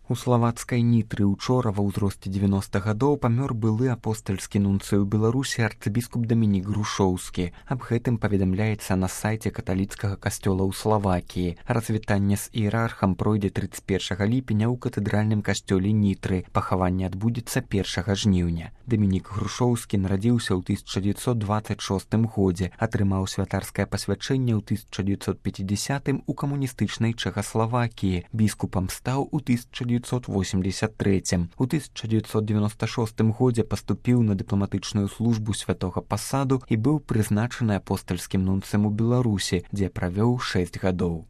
У славацкай Нітры учора ва ўзросце 90 гадоў памёр былы апостальскі нунцый у Беларусі арцыбіскуп Дамінік Грушоўскі. Аб гэтым паведамляецца на сайце каталіцкага касцёла ў Славакіі. Развітанне з іерархам пройдзе 31 ліпеня ў катэдральным касцёле Нітры. Пахаванне адбудзецца 1 жніўня. Дамінік Грушоўскі нарадзіўся ў 1926 годзе, атрымаў святарскае пасвячэнне ў 1950 у камуністычнай Чэхаславакіі. Біскупам стаў у 1983. У 1996 годзе паступіў на дыпламатычную службу святога пасаду і быў прызначаны апостальскім нунцым у Беларусі, дзе правёў 6 гадоў.